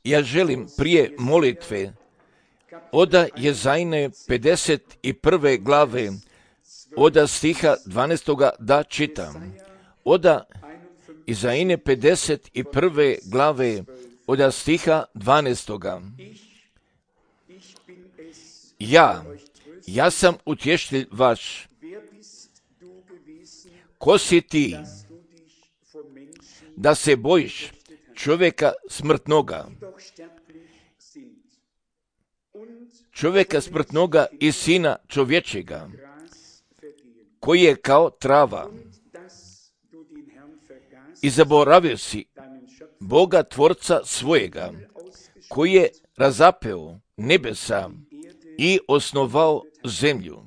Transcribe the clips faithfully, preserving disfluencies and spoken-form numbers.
Ja želim prije molitve oda Jezajne pedeset prve glave, oda stiha dvanaestoga da čitam. Oda Jezajne pedeset prve glave, oda stiha dvanaestoga. Ja, ja sam utješitelj vaš. Ko si ti da se bojiš čovjeka smrtnoga? Čovjeka smrtnoga i sina čovječega, koji je kao trava. I zaboravio si Boga Tvorca svojega, koji je razapeo nebesa i osnovao zemlju.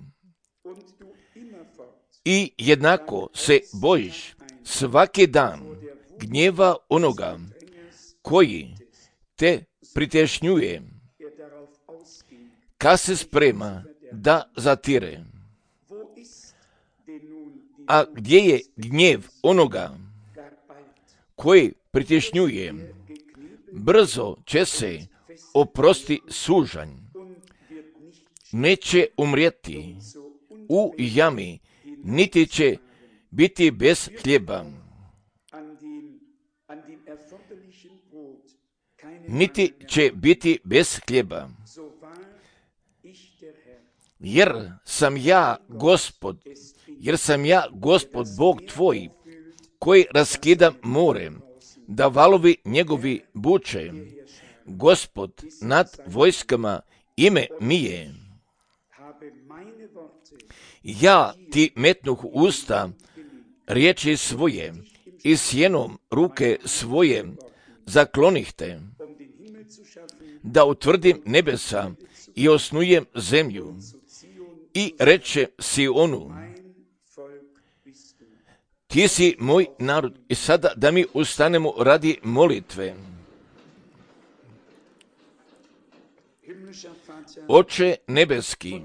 I jednako se bojiš svaki dan gnjeva onoga koji te pritešnjuje, kad se sprema da zatire. A gdje je gnjev onoga koji pritešnjuje, brzo će se oprosti sužanj, neće umrijeti u jami, niti će biti bez hljeba, niti će biti bez hljeba. Jer sam ja Gospod, jer sam ja Gospod Bog tvoj, koji raskidam more, da valovi njegovi buče. Gospod nad vojskama ime mi je. Ja ti metnuh usta riječi svoje i sjenom ruke svoje zaklonih te, da utvrdim nebesa i osnujem zemlju. I reče Sionu, ti si moj narod. I sada da mi ustanemo radi molitve. Oče nebeski,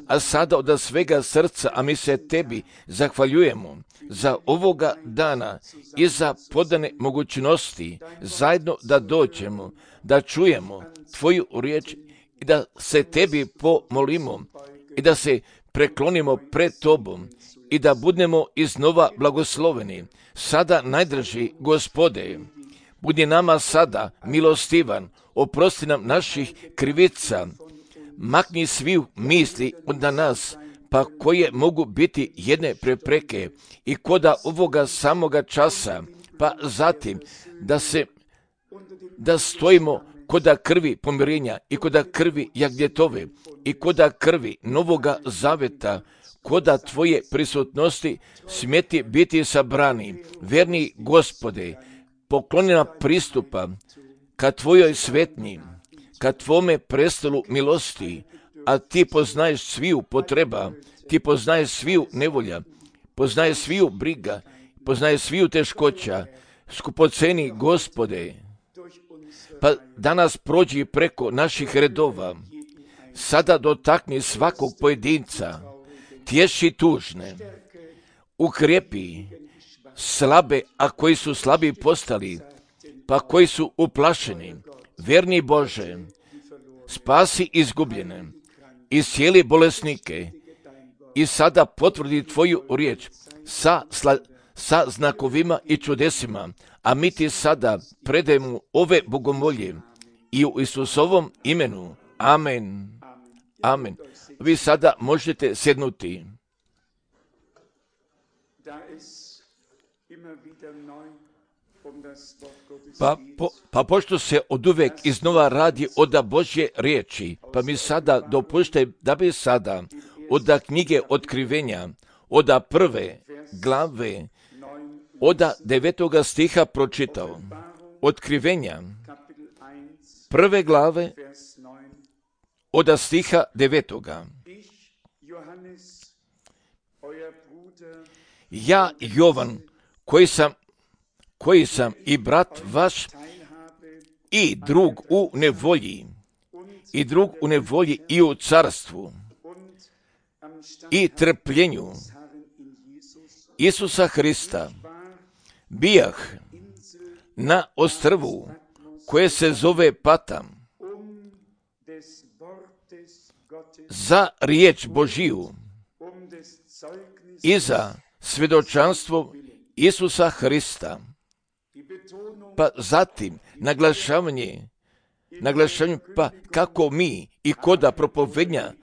a sada od svega srca, a mi se tebi zahvaljujemo za ovoga dana i za podane mogućnosti zajedno da dođemo, da čujemo tvoju riječ i da se tebi pomolimo i da se preklonimo pred tobom i da budemo iznova blagosloveni. Sada najdraži Gospode, budi nama sada milostivan, oprosti nam naših krivica, makni svih misli od nas, pa koje mogu biti jedne prepreke i koda ovoga samoga časa, pa zatim da se da stojimo koda krvi pomirenja i koda krvi Jagnjetove i koda krvi Novoga Zaveta, koda tvoje prisutnosti smjeti biti sabrani. Verni Gospode, pokloni nam pristupa ka tvojoj svetnji, ka tvome prestolu milosti, a ti poznaješ sviju potreba, ti poznaješ sviju nevolja, poznaješ sviju briga, poznaješ sviju teškoća. Skupoceni Gospode, pa danas prođi preko naših redova, sada dotakni svakog pojedinca, tješi tužne, ukrijepi slabe, a koji su slabi postali, pa koji su uplašeni. Verni Bože, spasi izgubljene, iscijeli bolesnike i sada potvrdi tvoju riječ sa, sla, sa znakovima i čudesima, a mi ti sada predajemo ove bogomolje i u Isusovom imenu. Amen. Amen. Vi sada možete sjednuti. Pa, po, pa pošto se oduvek iznova radi oda Božje riječi, pa mi sada dopušte da bi sada oda knjige Otkrivenja, oda prve glave, oda devetoga stiha pročitao. Otkrivenja, prve glave, oda stiha devetoga. Ja, Jovan, koji sam koji sam i brat vaš i drug u nevolji, i drug u nevolji i u carstvu, i trpljenju Isusa Hrista, bijah na ostrvu koje se zove Patam za riječ Božiju i za svjedočanstvo Isusa Hrista. Pa zatim naglašavanje, naglašavanje pa kako mi i koda propovednja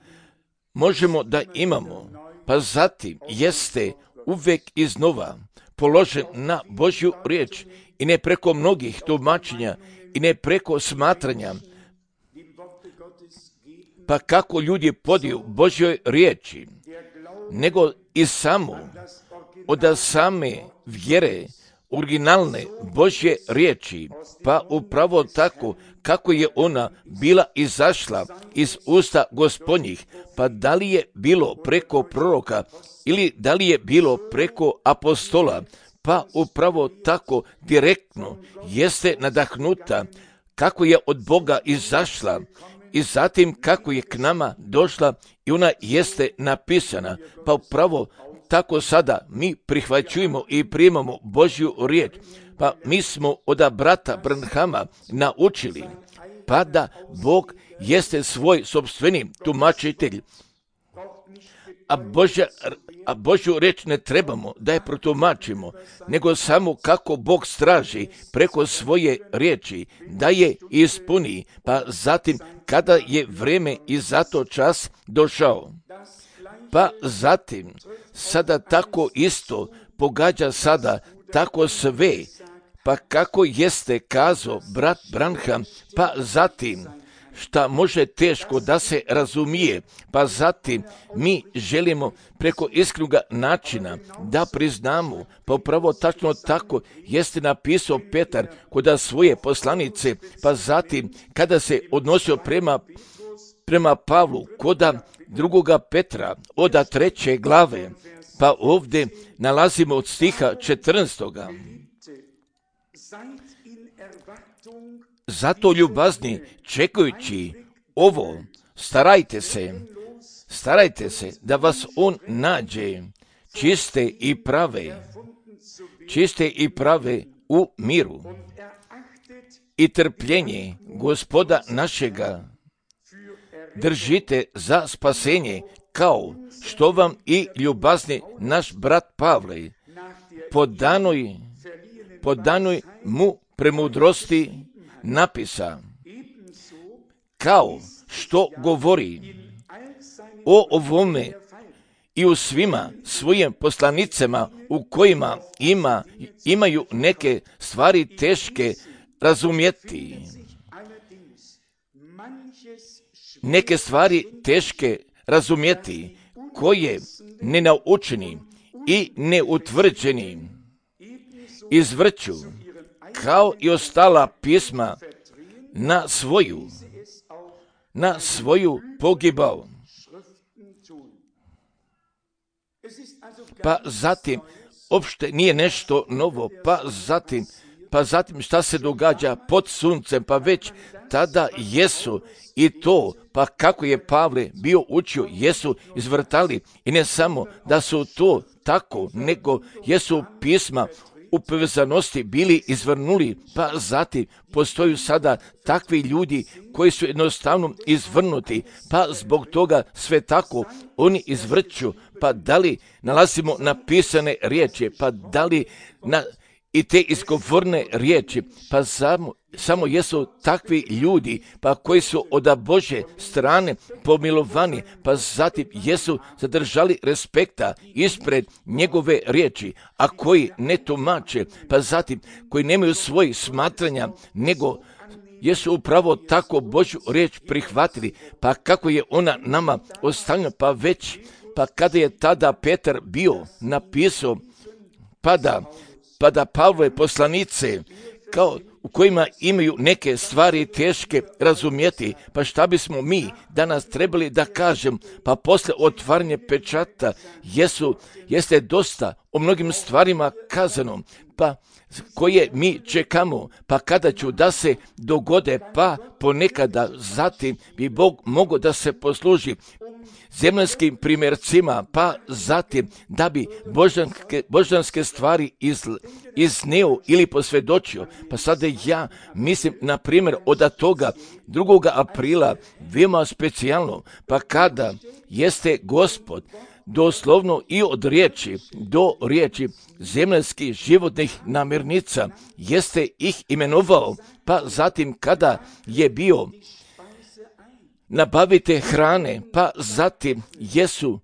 možemo da imamo, pa zatim jeste uvek iznova položen na Božju riječ i ne preko mnogih tumačenja i ne preko smatranja, pa kako ljudi podiju Božjoj riječi, nego i samo od same vjere originalne Božje riječi, pa upravo tako kako je ona bila izašla iz usta Gospodnjih, pa da li je bilo preko proroka ili da li je bilo preko apostola, pa upravo tako direktno jeste nadahnuta kako je od Boga izašla i zatim kako je k nama došla i ona jeste napisana, pa upravo tako sada mi prihvaćujemo i primamo Božju riječ, pa mi smo od brata Branhama naučili, pa da Bog jeste svoj sopstveni tumačitelj, a, Božja, a Božju riječ ne trebamo da je protumačimo, nego samo kako Bog straži preko svoje riječi, da je ispuni, pa zatim kada je vreme i zato čas došao. Pa zatim, sada tako isto pogađa sada tako sve, pa kako jeste kazao brat Branham, pa zatim, šta može teško da se razumije, pa zatim mi želimo preko iskrenog načina da priznamo, pa upravo tačno tako jeste napisao Petar kod svoje poslanice, pa zatim kada se odnosio prema, prema Pavlu kod drugoga Petra od treće glave, pa ovdje nalazimo od stiha četrnaestoga. Zato ljubazni, čekajući ovo, starajte se, starajte se da vas on nađe čiste i prave, čiste i prave u miru i trpljenje Gospoda našega držite za spasenje, kao što vam i ljubazni naš brat Pavle po danoj, po danoj mu premudrosti napisa, kao što govori o ovome i u svima svojim poslanicama u kojima ima, imaju neke stvari teške razumjeti. Neke stvari teške razumjeti, koje nenaučeni i neutvrđeni izvrću, kao i ostala pisma, na svoju, na svoju pogibao. Pa zatim, opšte nije nešto novo, pa zatim, pa zatim šta se događa pod suncem, pa već tada jesu i to, pa kako je Pavle bio učio, jesu izvrtali i ne samo da su to tako, nego jesu pisma u povezanosti bili izvrnuli, pa zatim postoju sada takvi ljudi koji su jednostavno izvrnuti, pa zbog toga sve tako oni izvrću, pa da li nalazimo napisane riječi, pa da li na i te izgovorne riječi, pa samo, samo jesu takvi ljudi, pa koji su od Božje strane pomilovani, pa zatim jesu zadržali respekta ispred njegove riječi, a koji ne tumače, pa zatim koji nemaju svojih smatranja, nego jesu upravo tako Božju riječ prihvatili, pa kako je ona nama ostavljena, pa već, pa kada je tada Petar bio napisao, pa da pa da Pavlove poslanice, kao u kojima imaju neke stvari teške razumjeti, pa šta bismo mi danas trebali da kažem, pa posle otvaranja pečata jesu, jeste dosta o mnogim stvarima kazano, pa koje mi čekamo, pa kada ću da se dogode, pa ponekada zatim bi Bog mogao da se posluži zemaljskim primjercima, pa zatim da bi božanske, božanske stvari iz, izneo ili posvjedočio. Pa sada ja mislim, na primjer, od toga drugoga aprila, veoma specijalno, pa kada jeste Gospod doslovno i od riječi do riječi zemaljskih životnih namirnica jeste ih imenovao, pa zatim kada je bio nabavite hrane, pa zatim jesu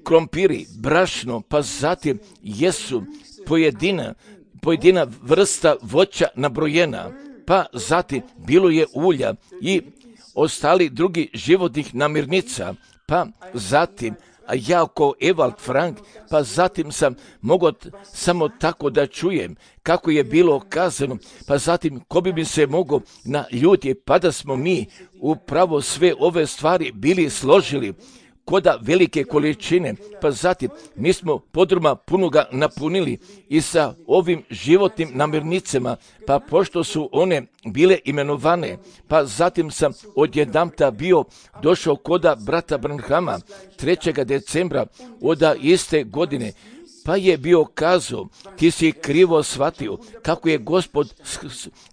krompiri, brašno, pa zatim jesu pojedina, pojedina vrsta voća nabrojena, pa zatim bilo je ulja i ostali drugi životnih namirnica, pa zatim a ja kao Evald Frank, pa zatim sam mogao samo tako da čujem kako je bilo kazano, pa zatim ko bi mi se mogao naljutiti, pa da smo mi upravo sve ove stvari bili složili koda velike količine, pa zatim mi smo podruma punoga napunili i sa ovim životnim namirnicama, pa pošto su one bile imenovane, pa zatim sam odjedanput bio došao koda brata Branhama trećeg decembra od iste godine, pa je bio kazao, ti si krivo shvatio kako je Gospod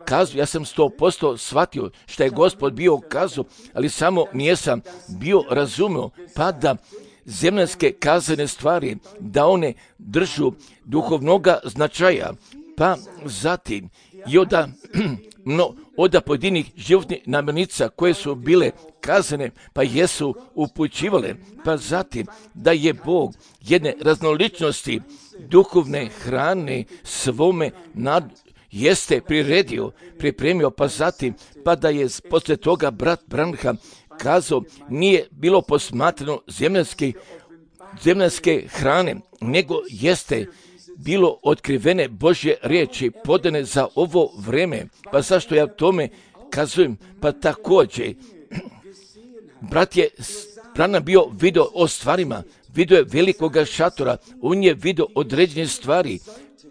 kazao, ja sam sto posto shvatio što je Gospod bio kazao, ali samo nijesam bio razumio, pa da zemaljske kazane stvari, da one držu duhovnoga značaja, pa zatim i od, no, od pojedinih životnih namirnica koje su bile kazane, pa jesu upućivale, pa zatim da je Bog jedne raznoličnosti duhovne hrane svome nad, jeste priredio, pripremio, pa zatim, pa da je poslije toga brat Branham kazao, nije bilo posmatrano zemaljske, zemaljske hrane, nego jeste bilo otkrivene Božje riječi podane za ovo vreme. Pa zašto ja tome kazujem? Pa također, brat je Branham bio vidio o stvarima, vidio je velikoga šatora, on je vidio određene stvari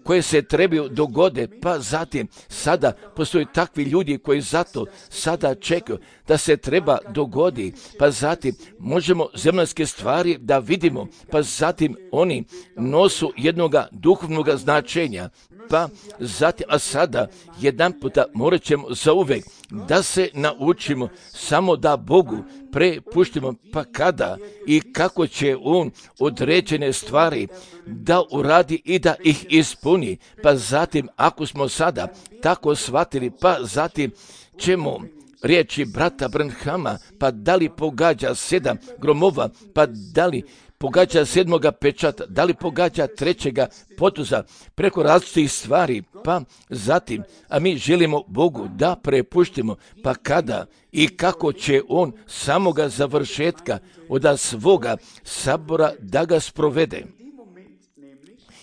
koje se trebaju dogode, pa zatim sada postoje takvi ljudi koji zato sada čekaju da se treba dogodi, pa zatim možemo zemaljske stvari da vidimo, pa zatim oni nosu jednoga duhovnoga značenja, pa zatim, a sada jedan puta morat ćemo zauvek da se naučimo samo da Bogu prepuštimo, pa kada i kako će On određene stvari da uradi i da ih ispuni, pa zatim ako smo sada tako shvatili, pa zatim ćemo riječi brata Branhama, pa da li pogađa sedam gromova, pa da li pogađa sedmoga pečata, da li pogađa trećega potuza, preko različitih stvari, pa zatim, a mi želimo Bogu da prepuštimo, pa kada i kako će On samoga završetka od svoga sabora da ga sprovede.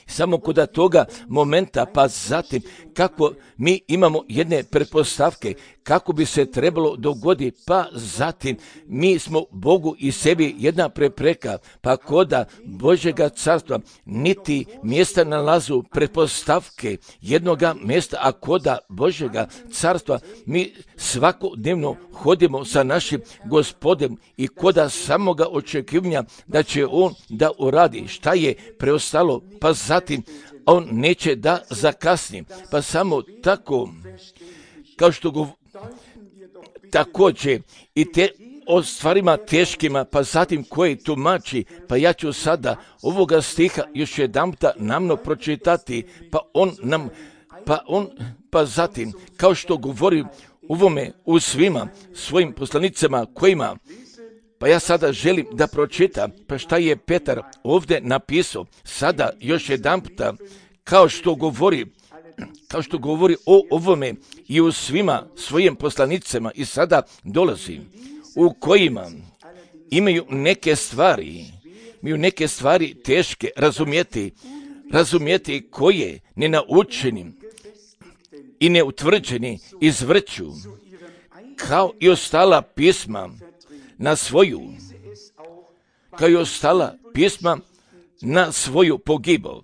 Samo kod toga momenta, pa zatim kako mi imamo jedne pretpostavke kako bi se trebalo dogoditi, pa zatim mi smo Bogu i sebi jedna prepreka, pa koda Božjega carstva niti mjesta nalazu pretpostavke jednoga mjesta, a koda Božjega carstva mi svakodnevno hodimo sa našim Gospodem i koda samoga očekivanja da će On da uradi šta je preostalo, pa zatim On neće da zakasni, pa samo tako, kao što go, također i te o stvarima teškima, pa zatim koji tumači, pa ja ću sada ovoga stiha još jedanputa namno pročitati, pa on nam, pa on, pa zatim, kao što govori ovome u svima svojim poslanicama kojima, pa ja sada želim da pročitam, pa šta je Petar ovdje napisao, sada još jedanputa, kao što govori, kao što govori o ovome i u svima svojim poslanicama i sada dolazi, u kojima imaju neke stvari, imaju neke stvari teške razumjeti, razumjeti koje nenaučeni i neutvrđeni izvrću, kao i ostala pisma na svoju, kao i ostala pisma na svoju pogibao.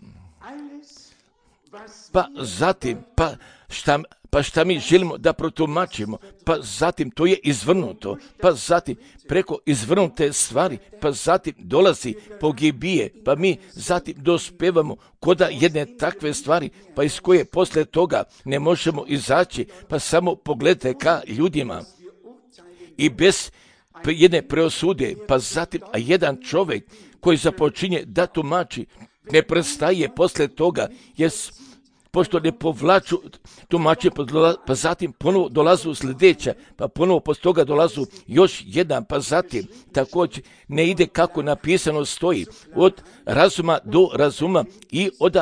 Pa zatim, pa šta pa šta mi želimo da protumačimo, pa zatim to je izvrnuto, pa zatim preko izvrnute stvari, pa zatim dolazi pogibije, pa mi zatim dospevamo koda jedne takve stvari, pa iz koje posle toga ne možemo izaći, pa samo pogledajte ka ljudima i bez jedne preosude, pa zatim a jedan čovjek koji započinje da tumači, ne prestaje posle toga, jer pošto ne povlaču tumačenje, pa zatim ponovo dolazu sljedeća, pa ponovo posle toga dolazu još jedan, pa zatim također ne ide kako napisano stoji, od razuma do razuma i od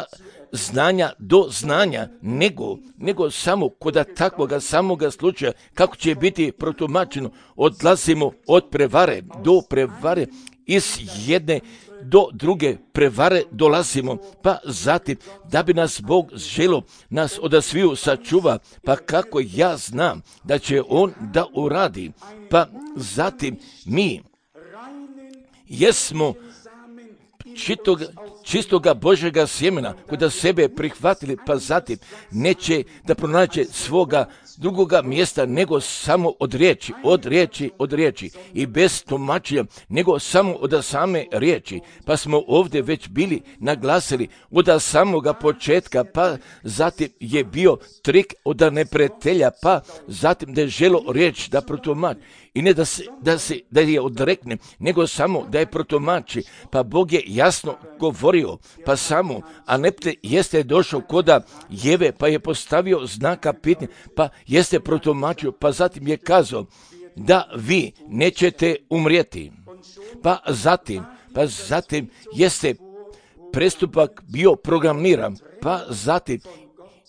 znanja do znanja, nego, nego samo kod takvoga samoga slučaja, kako će biti protumačeno, odlazimo od prevare do prevare, iz jedne do druge prevare dolazimo, pa zatim da bi nas Bog želo nas od sviju sačuva, pa kako ja znam da će On da uradi, pa zatim mi jesmo čitoga, čistoga Božjega sjemena koja sebe prihvatili, pa zatim neće da pronaće svoga drugoga mjesta nego samo od riječi, od riječi, od riječi i bez tumačenja nego samo od same riječi. Pa smo ovdje već bili naglasili od samoga početka, pa zatim je bio trik od neprijatelja, pa zatim da je želo riječ da protumači. I ne da se, da se da je odrekne, nego samo da je protumači. Pa Bog je jasno govorio, pa samo, a nepte jeste došao koda Jeve, pa je postavio znaka pitanja, pa jeste protumačio, pa zatim je kazao da vi nećete umrijeti. Pa zatim, pa zatim jeste prestupak bio programiran, pa zatim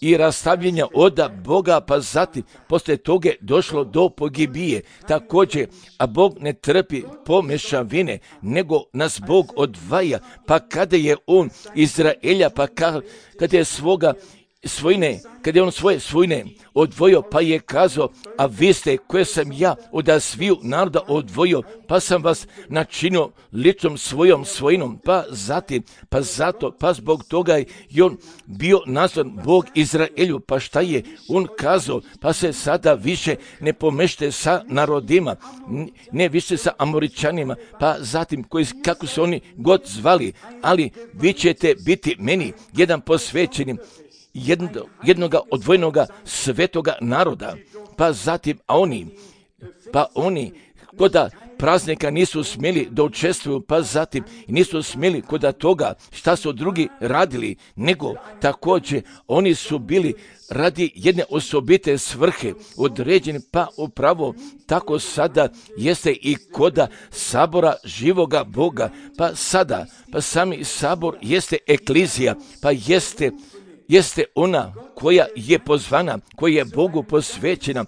i rastavljenja od Boga, pa zatim poslije toga došlo do pogibije. Također, a Bog ne trpi pomešavine, nego nas Bog odvaja, pa kada je On Izraelja, pa kada je svoga svojine, kada je on svoje svojine odvojio, pa je kazao, a vi ste koje sam ja od sviju naroda odvojio, pa sam vas načinio ličnom svojom svojinom, pa zatim, pa zato, pa zbog toga je on bio nazvan Bog Izraelju, pa šta je on kazao, pa se sada više ne pomešte sa narodima, ne više sa Amoričanima, pa zatim koji, kako se oni god zvali, ali vi ćete biti meni jedan posvećenim, Jedno, jednoga odvojenoga svetoga naroda, pa zatim, a oni, pa oni, koda praznika nisu smjeli da učestvuju, pa zatim nisu smjeli koda toga šta su drugi radili, nego također oni su bili radi jedne osobite svrhe određeni, pa upravo tako sada jeste i koda sabora živoga Boga, pa sada, pa sami sabor jeste eklizija, pa jeste jeste ona koja je pozvana, koja je Bogu posvećena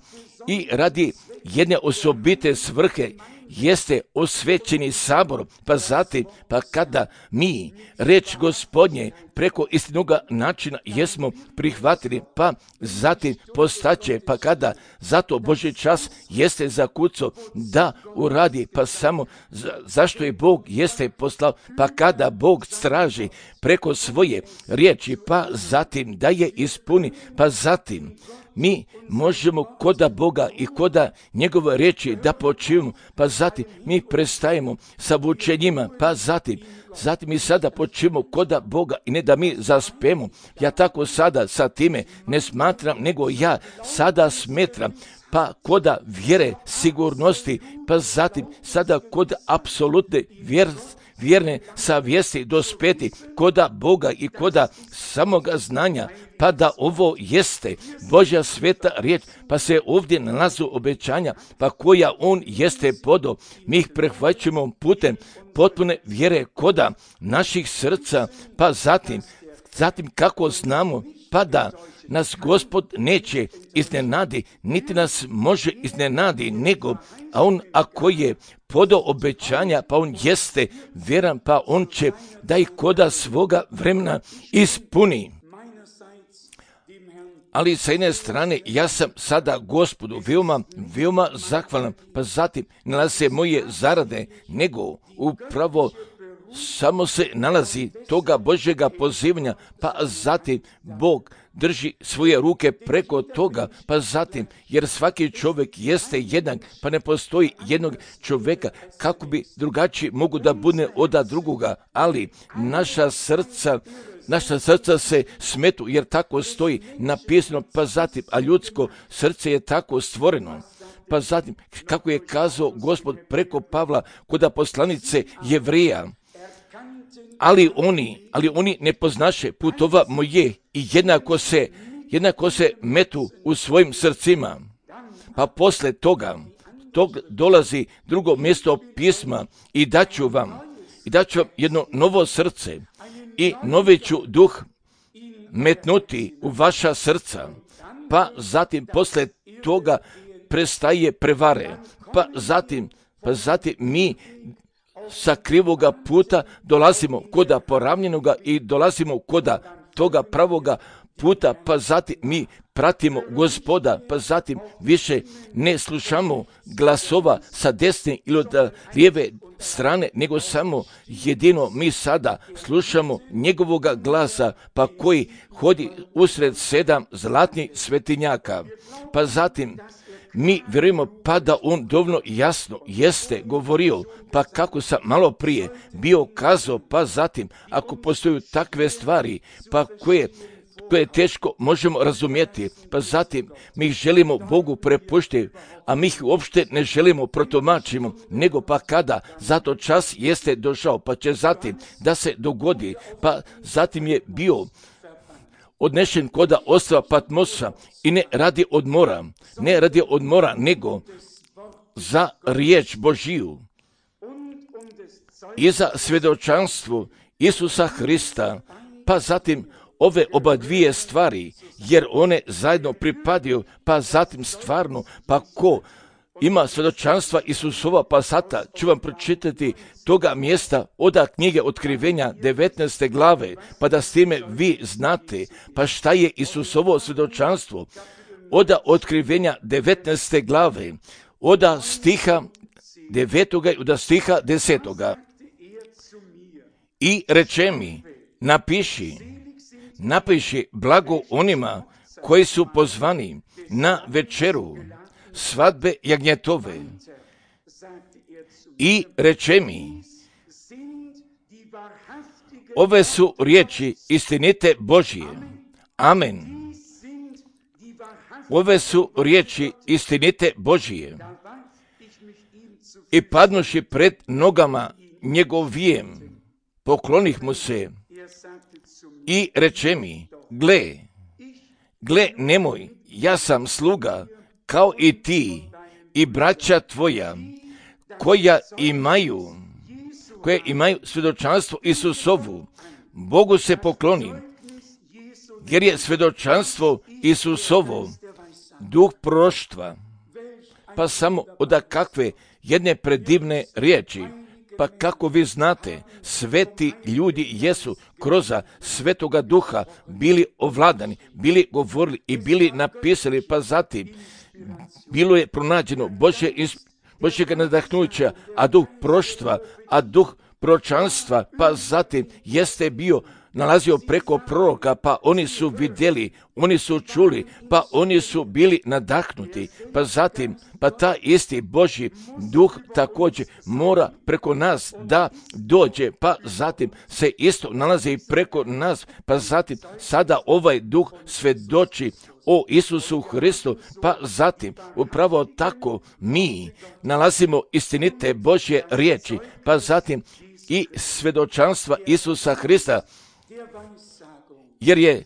i radi jedne osobite svrhe jeste osvećeni sabor, pa zatim, pa kada mi reč Gospodnje preko istinoga načina jesmo prihvatili, pa zatim postaće, pa kada zato Božji čas jeste zakucao da uradi, pa samo za, zašto je Bog jeste poslao, pa kada Bog straži preko svoje riječi, pa zatim da je ispuni, pa zatim mi možemo koda Boga i koda njegove riječi da počivamo, pa zatim mi prestajemo sa vučenjima, pa zatim, zatim mi sada počivamo koda Boga i ne da mi zaspemo. Ja tako sada sa time ne smatram, nego ja sada smetram, pa koda vjere, sigurnosti, pa zatim sada kod apsolutne vjernosti, vjerne savjesti dospeti koda Boga i koda samoga znanja, pa da ovo jeste Božja sveta riječ, pa se ovdje nalazu obećanja, pa koja on jeste podo, mi ih prehvaćamo putem potpune vjere koda naših srca, pa zatim, zatim kako znamo, pa da nas Gospod neće iznenadi, niti nas može iznenadi, nego, a on ako je podo obećanja, pa on jeste vjeran, pa on će da ih koda svoga vremena ispuni. Ali sa jedne strane, ja sam sada Gospodu veoma, veoma zahvalan, pa zatim nalaze se moje zarade, nego upravo samo se nalazi toga Božjega pozivanja, pa zatim Bog drži svoje ruke preko toga, pa zatim, jer svaki čovjek jeste jednak, pa ne postoji jednog čovjeka kako bi drugačiji mogu da bude od drugoga, ali naša srca Naša srca se smetu, jer tako stoji napisano, pa zatim, a ljudsko srce je tako stvoreno. Pa zatim, kako je kazao Gospod preko Pavla kod poslanice Jevrija, ali oni, ali oni ne poznaše putova moje i jednako se, jednako se metu u svojim srcima. Pa posle toga, tog dolazi drugo mjesto pisma i daću vam, i daću vam jedno novo srce i novi ću duh metnuti u vaša srca. Pa zatim posle toga prestaje prevare. Pa zatim, pa zatim mi sa krivoga puta dolazimo koda poravnjenoga i dolazimo koda toga pravoga puta, pa zatim mi pratimo Gospoda, pa zatim više ne slušamo glasova sa desne ili od lijeve strane, nego samo jedino mi sada slušamo njegovoga glasa, pa koji hodi usred sedam zlatnih svetinjaka. Pa zatim mi vjerujemo pa da on dovoljno jasno jeste govorio, pa kako sam malo prije bio kazao, pa zatim ako postoju takve stvari, pa koje koje teško možemo razumjeti, pa zatim mi ih želimo Bogu prepuštiti, a mi ih uopšte ne želimo protumačimo, nego pa kada zato čas jeste došao, pa će zatim da se dogodi, pa zatim je bio odnešen koda ostrva Patmosa i ne radi odmora, ne radi odmora, nego za riječ Božiju i za svjedočanstvo Isusa Hrista, pa zatim ove oba dvije stvari, jer one zajedno pripadaju, pa zatim stvarno, pa ko ima svjedočanstva Isusova, pa sada ću vam pročitati toga mjesta od knjige Otkrivenja devetnaeste glave, pa da s time vi znate, pa šta je Isusovo svjedočanstvo. Od Otkrivenja devetnaeste glave, od stiha devetoga i od stiha desetoga. I reče mi, napiši, napiši blago onima koji su pozvani na večeru svadbe jagnjetove. I reče mi, ove su riječi istinite Božije. Amen. Ove su riječi istinite Božije. I padnuši pred nogama njegovijem, poklonih mu se i reče mi, gle, gle nemoj, ja sam sluga kao i ti i braća tvoja koja imaju, koje imaju svjedočanstvo Isusovu. Bogu se poklonim, jer je svjedočanstvo Isusovo duh proroštva. Pa samo od kakve jedne predivne riječi. Pa kako vi znate, sveti ljudi jesu kroz svetoga duha bili ovladani, bili govorili i bili napisali, pa zatim bilo je pronađeno Božje, Božjega nadahnuća, a duh proštva, a duh proročanstva, pa zatim jeste bio nalazio preko proroka, pa oni su vidjeli, oni su čuli, pa oni su bili nadahnuti, pa zatim, pa ta isti Božji duh također mora preko nas da dođe, pa zatim se isto nalazi preko nas, pa zatim sada ovaj duh svjedoči o Isusu Hristu, pa zatim upravo tako mi nalazimo istinite Božje riječi, pa zatim i svjedočanstva Isusa Hrista, jer je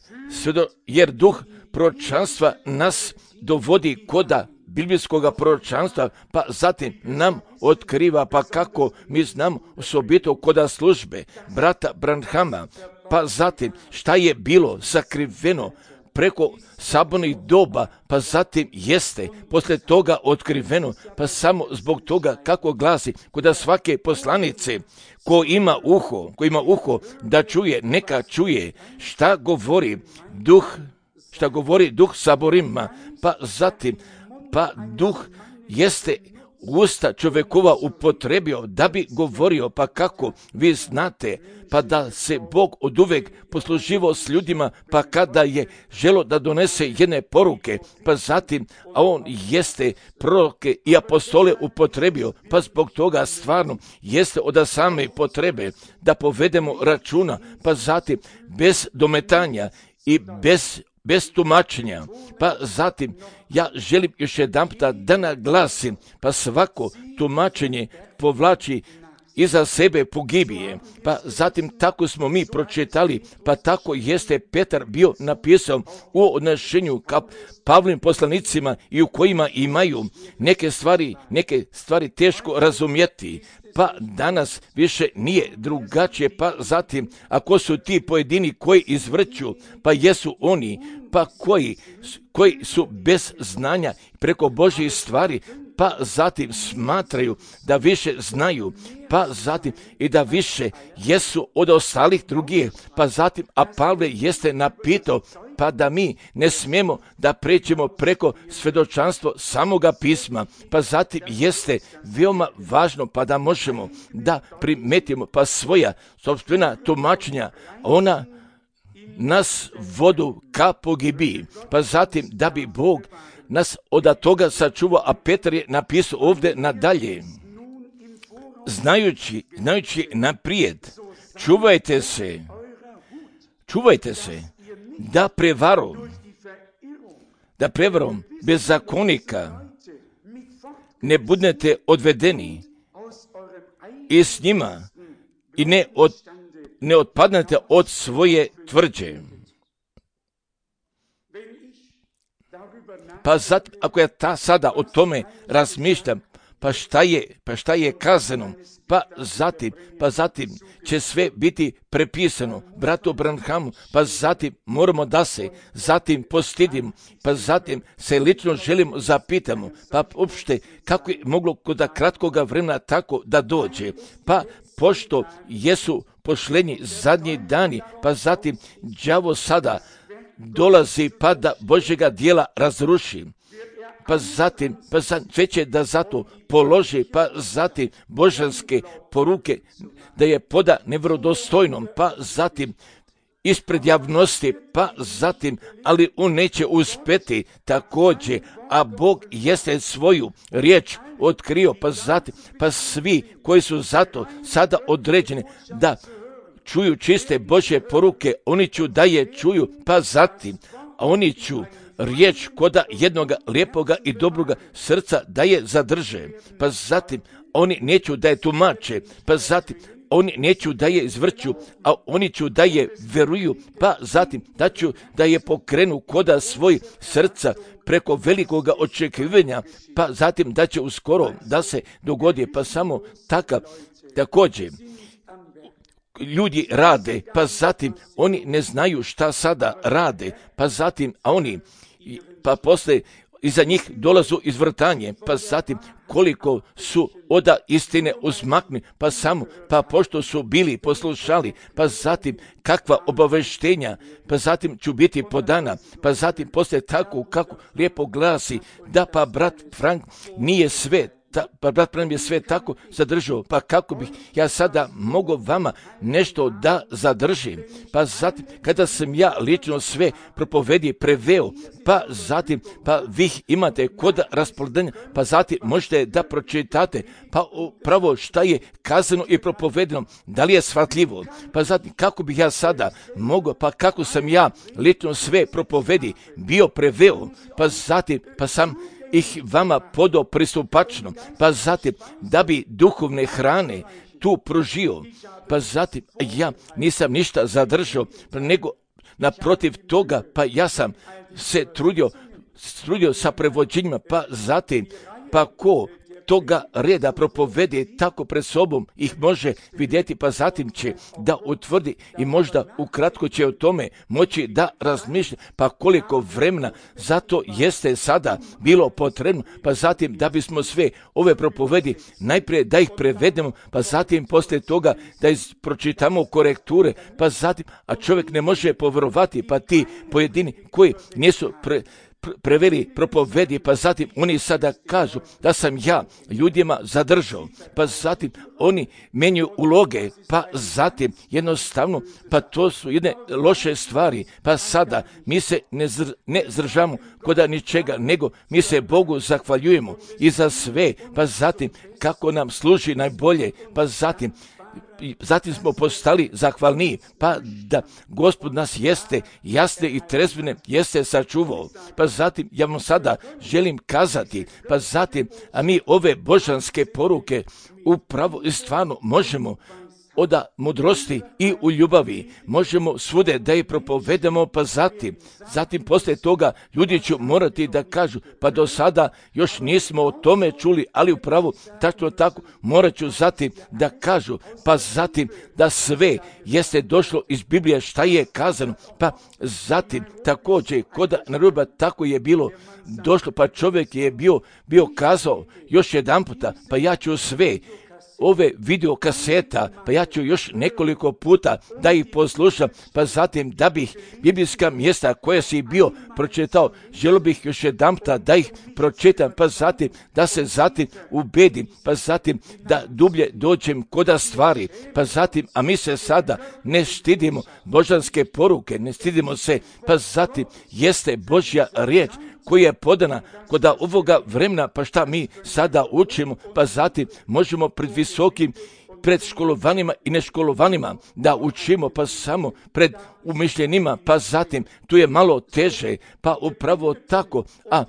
jer duh proročanstva nas dovodi koda biblijskoga proročanstva, pa zatim nam otkriva, pa kako mi znamo osobito koda službe brata Branhama, pa zatim šta je bilo sakriveno preko sabornih doba, pa zatim jeste posle toga otkriveno, pa samo zbog toga kako glasi koda svake poslanice ko ima uho, ko ima uho da čuje, neka čuje šta govori duh, šta govori duh saborima, pa zatim, pa duh jeste usta čovjekova upotrebio da bi govorio, pa kako vi znate, pa da se Bog oduvek posluživao s ljudima, pa kada je želo da donese jedne poruke, pa zatim, a on jeste proroke i apostole upotrebio, pa zbog toga stvarno jeste od same potrebe da povedemo računa, pa zatim bez dometanja i bez bez tumačenja, pa zatim ja želim još jedanputa da naglasim, pa svako tumačenje povlači iza sebe pogibije, pa zatim tako smo mi pročitali, pa tako jeste Petar bio napisao u odnošenju ka Pavlovim poslanicima i u kojima imaju neke stvari, neke stvari teško razumjeti, pa danas više nije drugačije, pa zatim ako su ti pojedini koji izvrću, pa jesu oni, pa koji, koji su bez znanja preko Božjih stvari, pa zatim smatraju da više znaju, pa zatim i da više jesu od ostalih drugih, pa zatim, a Pavle jeste napitao, pa da mi ne smijemo da pređemo preko svjedočanstvo samoga pisma, pa zatim jeste veoma važno, pa da možemo da primetimo pa svoja sopstvena tumačenja, ona nas vodu ka pogibiji, pa zatim da bi Bog nas od toga sačuvao, a Petar je napisao ovdje nadalje, znajući, znajući naprijed, čuvajte se, čuvajte se, da prevarom, da prevarom bezakonika ne budete odvedeni i s njima i ne, od, ne otpadnete od svoje tvrđe. Pa zato, ako ja ta sada o tome razmišljam, pa šta je, pa šta je kazano, pa zatim, pa zatim će sve biti prepisano bratu Branhamu, pa zatim moramo da se zatim postidimo, pa zatim se lično želimo zapitamo, pa uopšte kako je moglo kod kratkoga vremena tako da dođe, pa pošto jesu pošlenji zadnji dani, pa zatim đavo sada dolazi pa da Božjega dijela razruši, pa zatim, pa zatim sve će da zato položi, pa zatim božanske poruke da je poda nevrodostojnom, pa zatim ispred javnosti, pa zatim, ali on neće uspjeti također, a Bog jeste svoju riječ otkrio, pa zatim, pa svi koji su zato sada određeni da čuju čiste Božje poruke, oni ću da je čuju, pa zatim, a oni ću riječ koda jednog lijepoga i dobroga srca da je zadrže, pa zatim oni neću da je tumače, pa zatim oni neću da je izvrću, a oni ću da je veruju, pa zatim da ću da je pokrenu koda svoj srca preko velikoga očekivanja, pa zatim da će uskoro da se dogodi, pa samo takav također ljudi rade, pa zatim oni ne znaju šta sada rade, pa zatim, a oni, pa posle iza njih dolazu izvrtanje, pa zatim koliko su oda istine uzmakni, pa samo, pa pošto su bili poslušali, pa zatim kakva obaveštenja, pa zatim ću biti podana, pa zatim posle tako kako lijepo glasi, da pa brat Frank nije sve, Ta, pa brat Branham je sve tako zadržao, pa kako bih ja sada mogao vama nešto da zadržim, pa zatim kada sam ja lično sve propovedi preveo, pa zatim pa vi imate kod raspoloženja, pa zatim možete da pročitate, pa upravo šta je kazano i propovedeno, da li je shvatljivo, pa zatim kako bih ja sada mogao, pa kako sam ja lično sve propovedi bio preveo, pa zatim pa sam ih vama podao pristupačno, pa zatim da bi duhovne hrane tu pružio, pa zatim ja nisam ništa zadržao, nego naprotiv toga, pa ja sam se trudio, trudio sa prevođenjima, pa zatim, pa ko toga reda propovedi tako pred sobom ih može vidjeti, pa zatim će da utvrdi i možda ukratko će o tome moći da razmišlja, pa koliko vremena zato jeste sada bilo potrebno, pa zatim da bismo sve ove propovedi najprije da ih prevedemo, pa zatim poslije toga da pročitamo korekture, pa zatim, a čovjek ne može povjerovati, pa ti pojedini koji nisu pre preveli, propovedi, pa zatim oni sada kažu da sam ja ljudima zadržao, pa zatim oni menjaju uloge, pa zatim jednostavno, pa to su jedne loše stvari, pa sada mi se ne, zr, ne zdržamo koda ničega, nego mi se Bogu zahvaljujemo i za sve, pa zatim kako nam služi najbolje, pa zatim Zatim smo postali zahvalniji, pa da Gospod nas jeste jasne i trezvene jeste sačuvao. Pa zatim ja vam sada želim kazati, pa zatim, a mi ove božanske poruke upravo i stvarno možemo od mudrosti i u ljubavi, možemo svude da je propovedemo, pa zatim, zatim poslije toga ljudi će morati da kažu, pa do sada još nismo o tome čuli, ali upravo tako tako morat ću zatim da kažu, pa zatim da sve jeste došlo iz Biblije šta je kazano, pa zatim također kod naruba tako je bilo došlo, pa čovjek je bio, bio kazao još jedan puta, pa ja ću sve ove video kaseta, pa ja ću još nekoliko puta da ih poslušam, pa zatim da bih biblijska mjesta koja si bio pročitao, želio bih još jedan puta da ih pročitam, pa zatim da se zatim ubedim, pa zatim da dublje dođem koda stvari, pa zatim, a mi se sada ne stidimo božanske poruke, ne stidimo se, pa zatim jeste Božja riječ koja je podana kod ovoga vremena, pa šta mi sada učimo, pa zatim možemo pred visokim, pred školovanima i neškolovanima da učimo, pa samo pred umišljenima, pa zatim tu je malo teže, pa upravo tako, a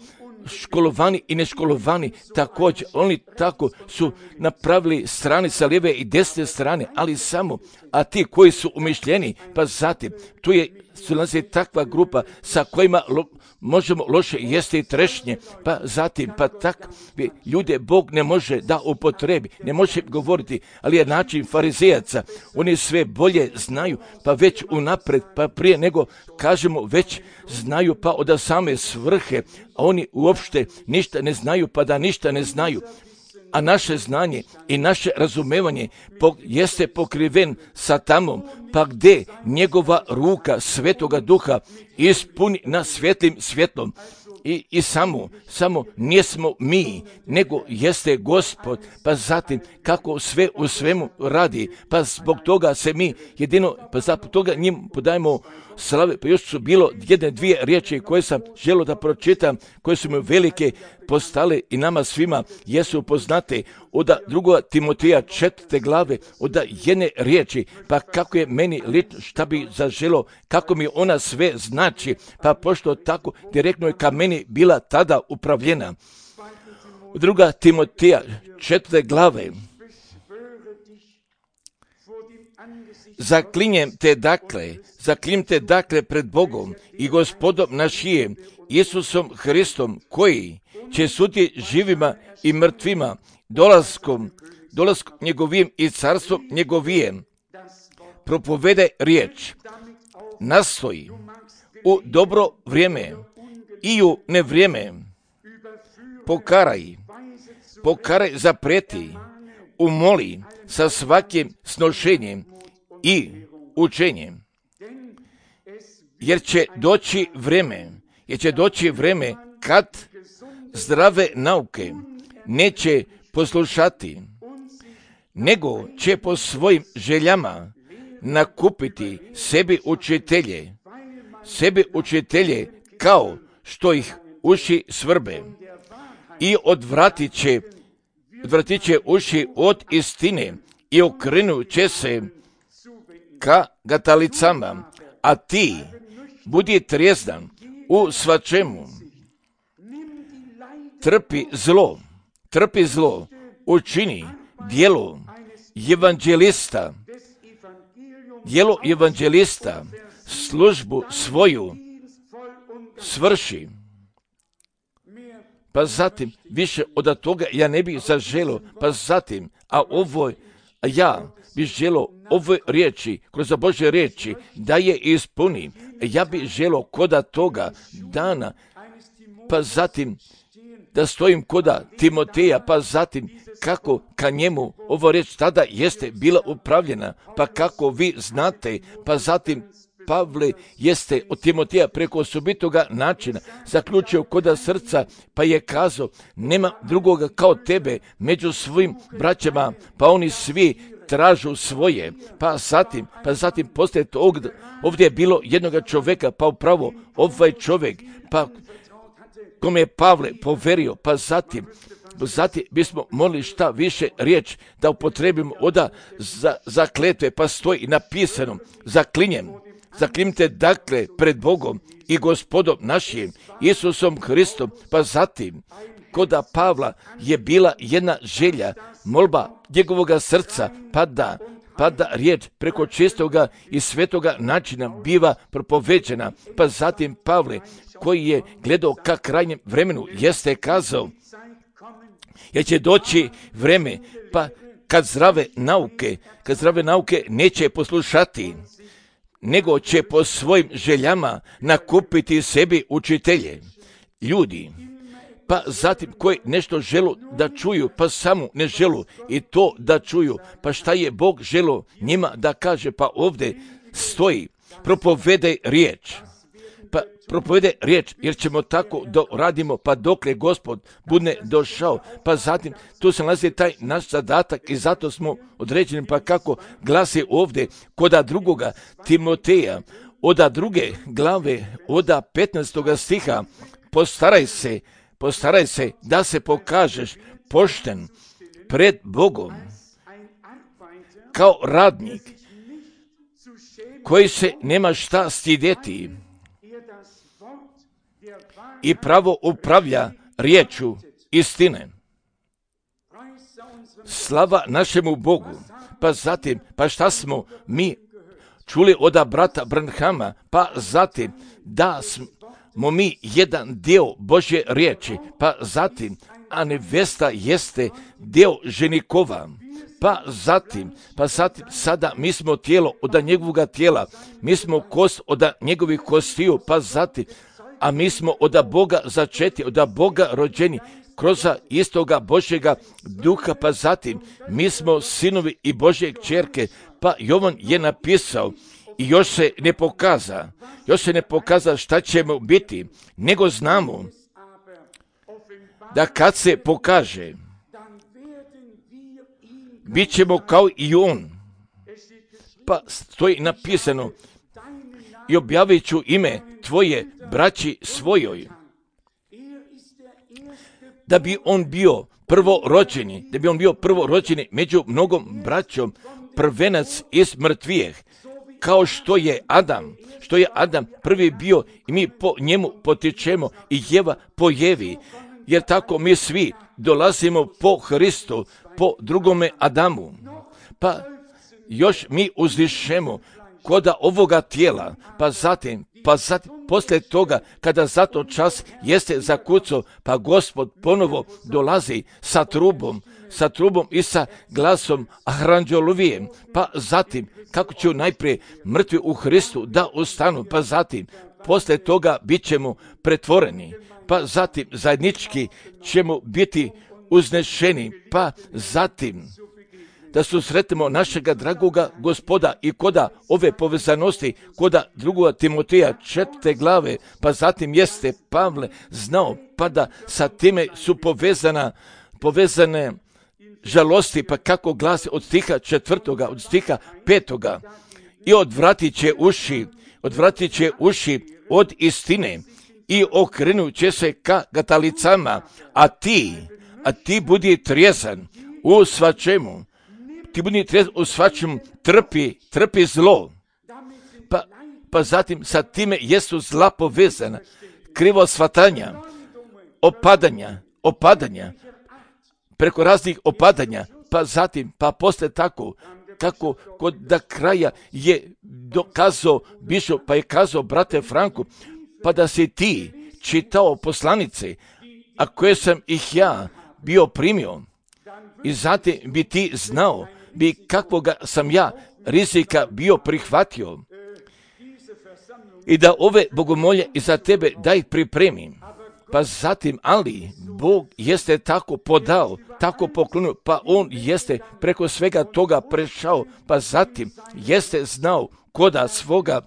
školovani i neškolovani također, oni tako su napravili strane sa lijeve i desne strane, ali samo, a ti koji su umišljeni, pa zatim, tu je su nas je takva grupa sa kojima lo, možemo loše jesti i trešnje, pa zatim, pa takvi ljude Bog ne može da upotrebi, ne može govoriti, ali je način farizejaca, oni sve bolje znaju, pa već unapred, pa prije nego kažemo već znaju, pa od same svrhe, a oni uopšte ništa ne znaju, pa da ništa ne znaju. A naše znanje i naše razumevanje jeste pokriven satamom, pa gdje njegova ruka Svetoga Duha ispuni na svjetlim svjetlom. I, i samo, samo nismo mi, nego jeste Gospod, pa zatim kako sve u svemu radi, pa zbog toga se mi jedino, pa zbog toga njim podajemo slave, pa još su bilo jedne dvije riječi koje sam želio da pročitam, koje su mi velike postale i nama svima jesu poznate od drugoga Timoteja četvrte glave, od jedne riječi, pa kako je meni lično šta bi zaželo, kako mi ona sve znači, pa pošto tako direktno je ka meni bila tada upravljena. Druga Timoteja četvrte glave. Zaklinjem te dakle, zaklinjem te dakle pred Bogom i Gospodom našijem, Isusom Hristom, koji će suditi živima i mrtvima, dolaskom, dolaskom njegovim i carstvom njegovijem. Propovede riječ, nastoji u dobro vrijeme i u nevrijeme, pokaraj, pokaraj zapreti, umoli sa svakim snošenjem i učenjem. Jer će doći vrijeme, jer će doći vrijeme kad zdrave nauke neće poslušati, nego će po svojim željama nakupiti sebi učitelje, sebi učitelje kao što ih uši svrbe i odvratit će, odvratit će uši od istine i okrenut će se ka gatalicama, a ti budi trijezdan u svačemu. Trpi zlo, trpi zlo, učini djelo evanđelista, djelo evanđelista, službu svoju svrši. Pa zatim, više od toga ja ne bih zaželio, pa zatim, a ovo, a ja bih želio ove riječi, kroz Božje riječi, da je ispunim. Ja bih želio koda toga dana, pa zatim, da stojim koda Timoteja, pa zatim kako ka njemu ovo riječ tada jeste bila upravljena, pa kako vi znate, pa zatim Pavle jeste od Timoteja preko osobitoga načina zaključio koda srca, pa je kazao, nema drugoga kao tebe među svojim braćama, pa oni svi tražu svoje, pa zatim, pa zatim poslije tog, ovdje je bilo jednoga čovjeka, pa upravo ovaj čovjek, pa kome je Pavle poverio, pa zatim, zatim bismo molili šta više riječ da upotrebimo oda za, za kletve, pa stoji napisano, zaklinjem, zaklinjte dakle pred Bogom i Gospodom našim, Isusom Hristom, pa zatim, koda Pavla je bila jedna želja, molba njegovoga srca, pa da, pa da riječ preko čistoga i svetoga načina biva propoveđena, pa zatim Pavle, koji je gledao ka krajnjem vremenu, jeste kazao, jer će doći vreme, pa kad zdrave nauke, kad zdrave nauke neće poslušati, nego će po svojim željama nakupiti sebi učitelje, ljudi, pa zatim koji nešto želu da čuju, pa samo ne želu i to da čuju, pa šta je Bog želo njima da kaže, pa ovdje stoji, propovede riječ, pa propovede riječ, jer ćemo tako da radimo, pa dokle Gospod bude došao, pa zatim tu se nalazi taj naš zadatak i zato smo određeni, pa kako glasi ovdje koda drugoga Timoteja, oda druge glave, oda petnaestoga stiha, postaraj se, postaraj se da se pokažeš pošten pred Bogom, kao radnik, koji se nema šta stidjeti i pravo upravlja riječu istine. Slava našemu Bogu. Pa zatim, pa šta smo mi čuli od brata Branhama, pa zatim da smo mi jedan dio Božje riječi, pa zatim, a nevesta jeste dio ženikova, pa zatim, pa zatim, sada mi smo tijelo od njegovoga tijela, mi smo kost od njegovih kostiju, pa zatim, a mi smo od Boga začeti, od Boga rođeni, kroz istoga Božjega duha, pa zatim, mi smo sinovi i Božje kćerke, pa Jovan je napisao, i još se ne pokaza, još se ne pokaza šta ćemo biti, nego znamo da kad se pokaže, bit ćemo kao i on. Pa stoji napisano, i objavit ću ime tvoje braći svojoj, da bi on bio prvorođeni, da bi on bio prvorođeni među mnogom braćom, prvenac iz mrtvijeh, kao što je Adam, što je Adam prvi bio i mi po njemu potičemo i Jeva po Jevi, jer tako mi svi dolazimo po Hristu, po drugome Adamu. Pa još mi uzdišemo koda ovoga tijela, pa zatim, pa zatim, poslije toga, kada zato čas jeste zakucao, pa Gospod ponovo dolazi sa trubom, sa trubom i sa glasom aranđelovijem, pa zatim, kako će najprije mrtvi u Hristu da ustanu, pa zatim, poslije toga bit ćemo pretvoreni, pa zatim zajednički ćemo biti uznešeni, pa zatim da susretimo našega dragoga Gospoda i koda ove povezanosti, koda drugoga Timoteja četvrte glave, pa zatim jeste Pavle znao, pa da sa time su povezana, povezane žalosti, pa kako glasi od stiha četvrtoga, od stiha petoga, i odvratit će uši, odvratit će uši od istine i okrenut će se ka gatalicama, a ti, a ti budi trijezan u svačemu, ti budi trijezan u svačemu, trpi, trpi zlo. Pa, pa zatim sa time jesu zla povezana, krivo shvatanja, opadanja, opadanja, preko raznih opadanja, pa zatim, pa poslije tako, kako kod da kraja je dokazao Bišo, pa je kazao brate Franku, pa da si ti čitao poslanice, a koje sam ih ja bio primio, i zatim bi ti znao, bi kakvoga sam ja rizika bio prihvatio, i da ove bogomolje i za tebe da ih pripremim. Pa zatim, ali Bog jeste tako podao, tako poklonio, pa on jeste preko svega toga prešao, pa zatim jeste znao koda svoga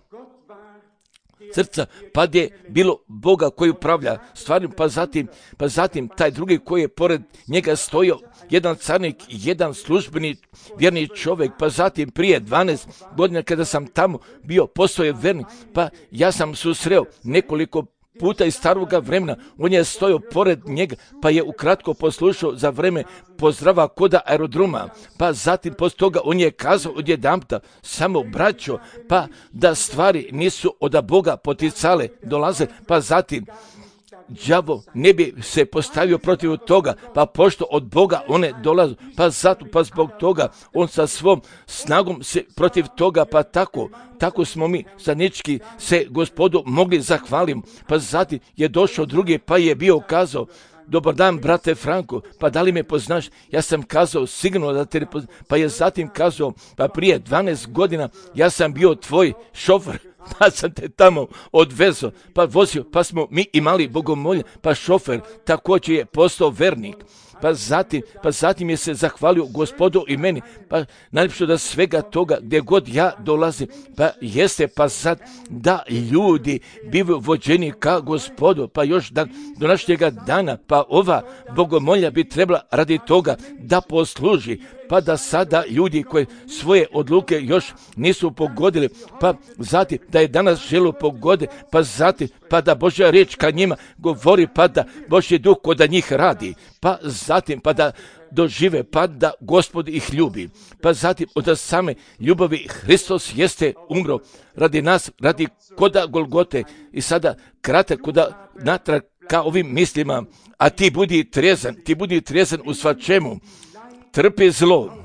srca, pa je bilo Boga koji upravlja stvarima, pa zatim, pa zatim taj drugi koji je pored njega stojao, jedan carnik, jedan službeni vjerni čovjek, pa zatim prije dvanaest godina kada sam tamo bio, postao je vernik, pa ja sam susreo nekoliko puta iz staroga vremena, on je stojao pored njega, pa je ukratko poslušao za vreme pozdrava koda aerodroma, pa zatim poslije toga on je kazao odjedanputa, samo braćo, pa da stvari nisu od Boga poticale, dolaze, pa zatim đavo ne bi se postavio protiv toga, pa pošto od Boga one dolaze, pa zato, pa zbog toga on sa svom snagom se protiv toga, pa tako, tako smo mi zajednički se Gospodu mogli zahvaliti, pa zatim je došao drugi, pa je bio kazao, dobar dan, brate Franko, pa da li me poznaš? Ja sam kazao, sigurno da te ne poznaš, pa je zatim kazao, pa prije dvanaest godina ja sam bio tvoj šofer, pa sam te tamo odvezao, pa vozio, pa smo mi imali bogomolje, pa šofer također je postao vernik. Pa zatim, pa zatim je se zahvalio Gospodu i meni, pa najljepše da svega toga gdje god ja dolazim, pa jeste pa sad da ljudi bivaju vođeni ka Gospodu, pa još da, do našega dana, pa ova bogomolja bi trebala radi toga da posluži, pa da sada ljudi koji svoje odluke još nisu pogodili, pa zatim da je danas želu pogode, pa zatim pa da Božja riječ ka njima govori, pa da Božji duh kod njih radi, pa zatim pa da dožive, pa da Gospod ih ljubi, pa zatim od same ljubavi Hristos jeste umro radi nas, radi koda Golgote i sada kratak koda natrag ka ovim mislima, a ti budi trezan, ti budi trezan u svačemu, trpi zlo,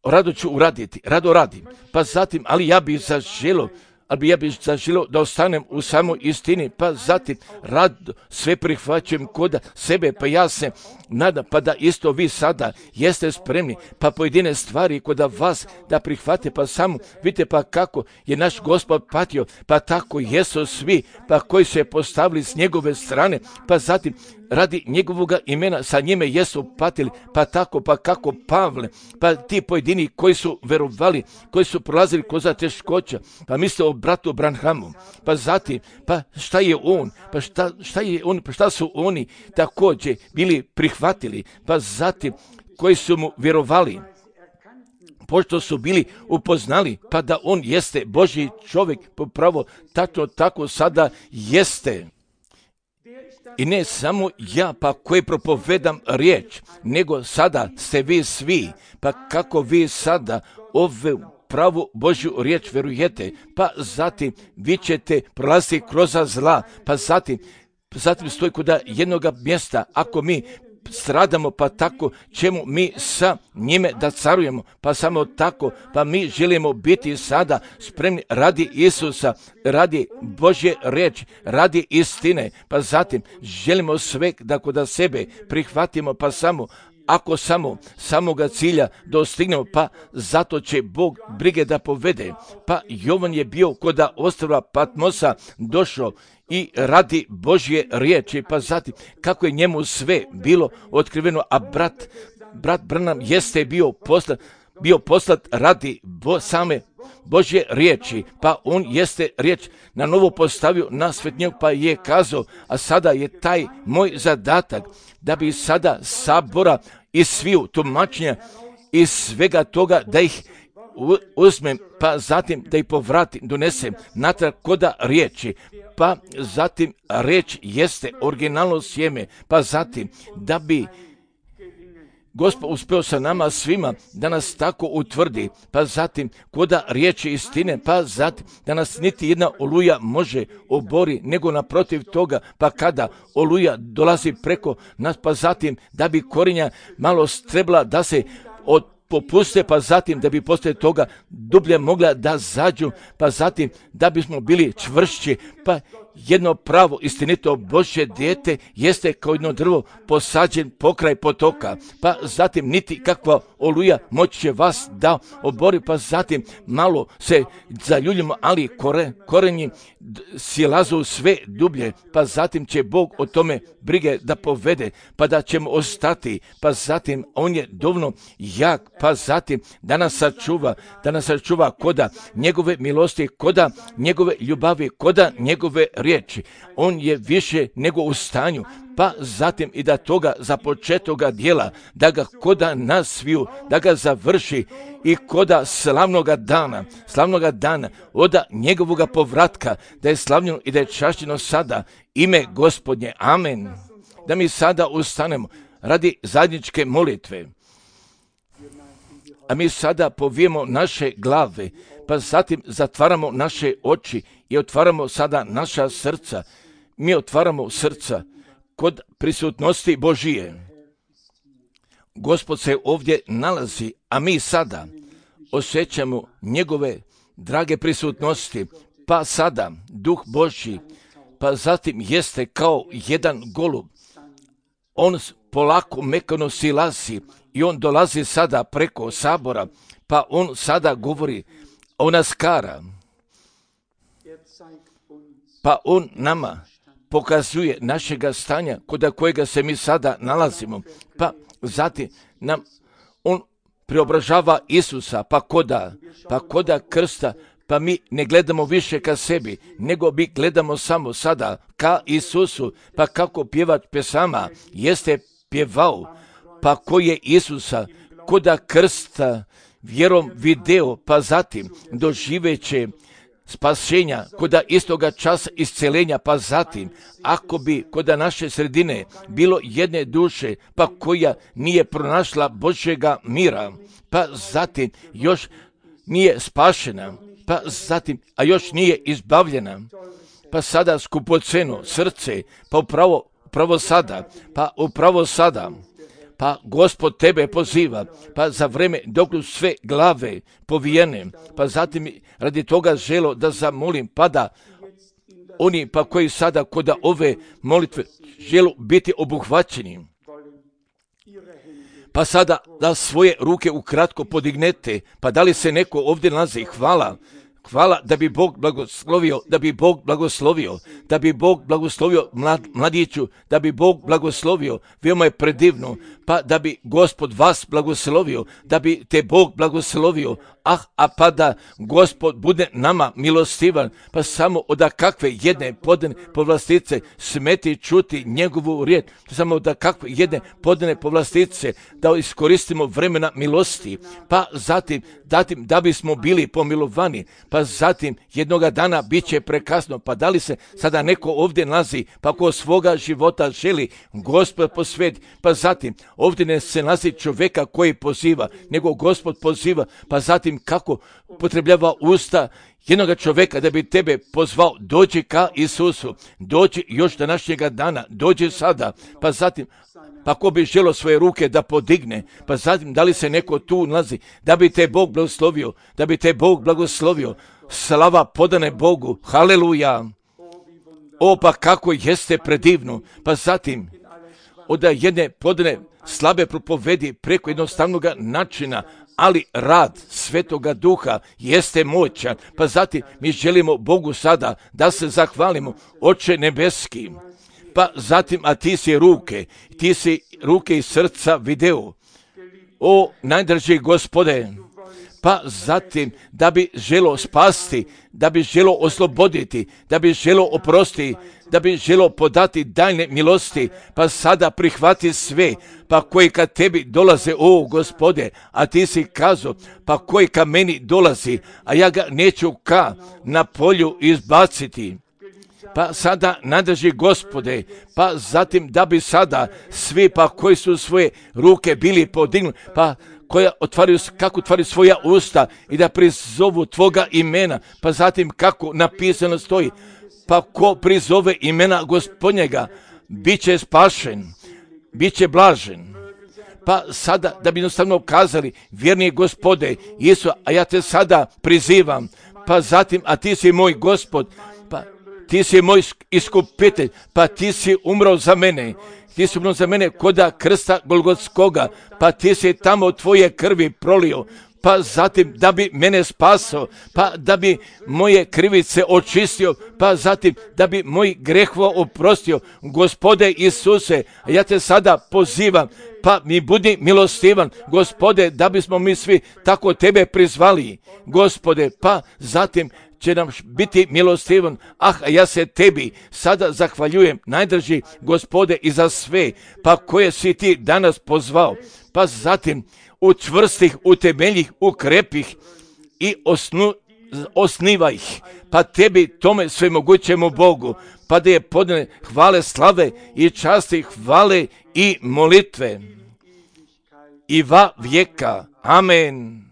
rado ću uraditi, rado radim, pa zatim, ali ja bih zaželio, ali bi ja bih zaželio da ostanem u samoj istini, pa zatim rado sve prihvaćujem koda sebe, pa ja se nadam, pa da isto vi sada jeste spremni, pa pojedine stvari koda vas da prihvate, pa samo vidite pa kako je naš Gospod patio, pa tako jesu svi, pa koji se postavili s njegove strane, pa zatim radi njegovoga imena sa njime jesu patili, pa tako, pa kako Pavle, pa ti pojedini koji su verovali, koji su prolazili kroz teškoća, pa misle o bratu Branhamu, pa zatim, pa šta je on, pa šta, šta je on, pa šta su oni također bili prihvatili, pa zatim koji su mu vjerovali, pošto su bili upoznali, pa da on jeste Božji čovjek, popravo tačno tako sada jeste. I ne samo ja pa koji propovedam riječ, nego sada ste vi svi, pa kako vi sada ove pravu Božju riječ verujete, pa zatim vi ćete prolaziti kroz zla, pa zatim, zatim stoji kod jednoga mjesta, ako mi stradamo, pa tako ćemo mi sa njime da carujemo, pa samo tako, pa mi želimo biti sada spremni radi Isusa, radi Božje riječi, radi istine, pa zatim želimo sve da kod sebe prihvatimo, pa samo ako samo samoga cilja dostignemo, pa zato će Bog brige da povede. Pa Jovan je bio kod ostrva Patmosa došao i radi Božje riječi, pa zatim kako je njemu sve bilo otkriveno, a brat, brat Branham jeste bio poslat, bio poslat radi bo, same Božje riječi, pa on jeste riječ na novo postavio na svetnjeg, pa je kazao, a sada je taj moj zadatak da bi sada sabora i sviju tumačenja i svega toga da ih uzmem, pa zatim da ih povratim, donesem natrag koda riječi, pa zatim riječ jeste originalno sjeme, pa zatim da bi Gospod uspio sa nama svima da nas tako utvrdi, pa zatim koda riječi istine, pa zatim da nas niti jedna oluja može obori, nego naprotiv toga, pa kada oluja dolazi preko nas, pa zatim da bi korinja malo strebla da se od popuste, pa zatim da bi poslije toga dublje mogla da zađu, pa zatim da bismo bili čvršći, Pa jedno pravo, istinito Božje dijete jeste kao jedno drvo posađen pokraj potoka. Pa zatim niti kakva oluja moći će vas da obori, pa zatim malo se zaljuljimo, ali kore, korenji silazu sve dublje, pa zatim će Bog o tome brige da povede, pa da ćemo ostati, pa zatim On je dovoljno jak, pa zatim da nas sačuva, da nas sačuva koda njegove milosti, koda njegove ljubavi, koda njegove riječi. On je više nego u stanju, pa zatim i da toga započetoga dijela, da ga koda nas sviju, da ga završi i koda slavnoga dana, slavnoga dana, oda njegovoga povratka, da je slavljeno i da je čašćeno sada ime Gospodnje. Amen. Da mi sada ustanemo radi zajedničke molitve. A mi sada povijemo naše glave, pa zatim zatvaramo naše oči i otvaramo sada naša srca. Mi otvaramo srca kod prisutnosti Božije. Gospod se ovdje nalazi, a mi sada osjećamo njegove drage prisutnosti, pa sada Duh Božji, pa zatim jeste kao jedan golub. On polako mekano silazi i on dolazi sada preko sabora, pa on sada govori, on nas kara. Pa on nama pokazuje našega stanja kod kojega se mi sada nalazimo, pa zatim nam on preobražava Isusa, pa koda, pa koda krsta, pa mi ne gledamo više ka sebi, nego mi gledamo samo sada ka Isusu, pa kako pjevač pesama jeste pjevao, pa ko je Isusa koda krsta vjerom video, pa zatim doživeće spasenja, koda istoga časa iscelenja, pa zatim, ako bi koda naše sredine bilo jedne duše, pa koja nije pronašla Božjega mira, pa zatim još nije spašena, pa zatim, a još nije izbavljena, pa sada skupoceno srce, pa upravo, upravo sada, pa upravo sada, pa Gospod tebe poziva, pa za vreme dok su sve glave povijene, pa zatim radi toga želo da zamolim, pa da oni pa koji sada kod ove molitve želu biti obuhvaćeni, pa sada da svoje ruke ukratko podignete, pa da li se neko ovdje nalazi, hvala, hvala da bi Bog blagoslovio, da bi Bog blagoslovio, da bi Bog blagoslovio mlad, mladiću, da bi Bog blagoslovio, veoma je predivno, pa da bi Gospod vas blagoslovio, da bi te Bog blagoslovio, ah, a pa da Gospod bude nama milostivan, pa samo od kakve jedne podane povlastice smeti čuti njegovu riječ, samo od kakve jedne podane povlastice da iskoristimo vremena milosti, pa zatim, zatim da bismo bili pomilovani, pa zatim jednoga dana bit će prekasno, pa da li se sada neko ovdje nalazi, pa ko svoga života želi Gospod posveti, pa zatim ovdje ne se nalazi čovjeka koji poziva, nego Gospod poziva, pa zatim kako upotrebljava usta jednoga čovjeka da bi tebe pozvao, dođi ka Isusu, dođi još današnjega dana, dođi sada, pa zatim, pa ko bi želio svoje ruke da podigne, pa zatim da li se neko tu nalazi, da bi te Bog blagoslovio, da bi te Bog blagoslovio, slava podane Bogu, haleluja, o pa kako jeste predivno, pa zatim od jedne podane slabe propovedi preko jednostavnog načina, ali rad Svetoga Duha jeste moćan, pa zatim mi želimo Bogu sada da se zahvalimo, Oče nebeski, pa zatim, a ti si ruke, ti si ruke i srca video, o najdraži Gospode, pa zatim da bi želo spasti, da bi želo osloboditi, da bi želo oprostiti, da bi želo podati daljne milosti, pa sada prihvati sve, pa koji ka tebi dolaze, o Gospode, a ti si kazao, pa koji ka meni dolazi, a ja ga neću ka na polju izbaciti. Pa sada nadrži Gospode, pa zatim da bi sada svi pa koji su svoje ruke bili podignuti, pa koja otvaraju, kako otvaraju svoja usta i da prizovu tvoga imena, pa zatim kako napisano stoji, pa ko prizove imena Gospodnjega, bit će spašen, bit će blažen. Pa sada da bi jednostavno kazali, vjerni Gospode, Isu, a ja te sada prizivam, pa zatim, a ti si moj Gospod, pa ti si moj iskupitelj, pa ti si umro za mene. Ti si umro za mene koda krsta Golgotskoga, pa ti si tamo tvoje krvi prolio, pa zatim da bi mene spasao, pa da bi moje krivice očistio, pa zatim da bi moj grehvo oprostio. Gospode Isuse, ja te sada pozivam, pa mi budi milostivan, Gospode, da bismo mi svi tako tebe prizvali, Gospode, pa zatim će nam biti milostivan. Ah, ja se tebi sada zahvaljujem, najdraži Gospode, i za sve, pa koje si ti danas pozvao, pa zatim učvrstih, utemeljih, ukrepih i osnu, osniva ih, pa tebi tome svemogućemu Bogu, pa da je podane hvale, slave i časti, hvale i molitve i va vijeka. Amen.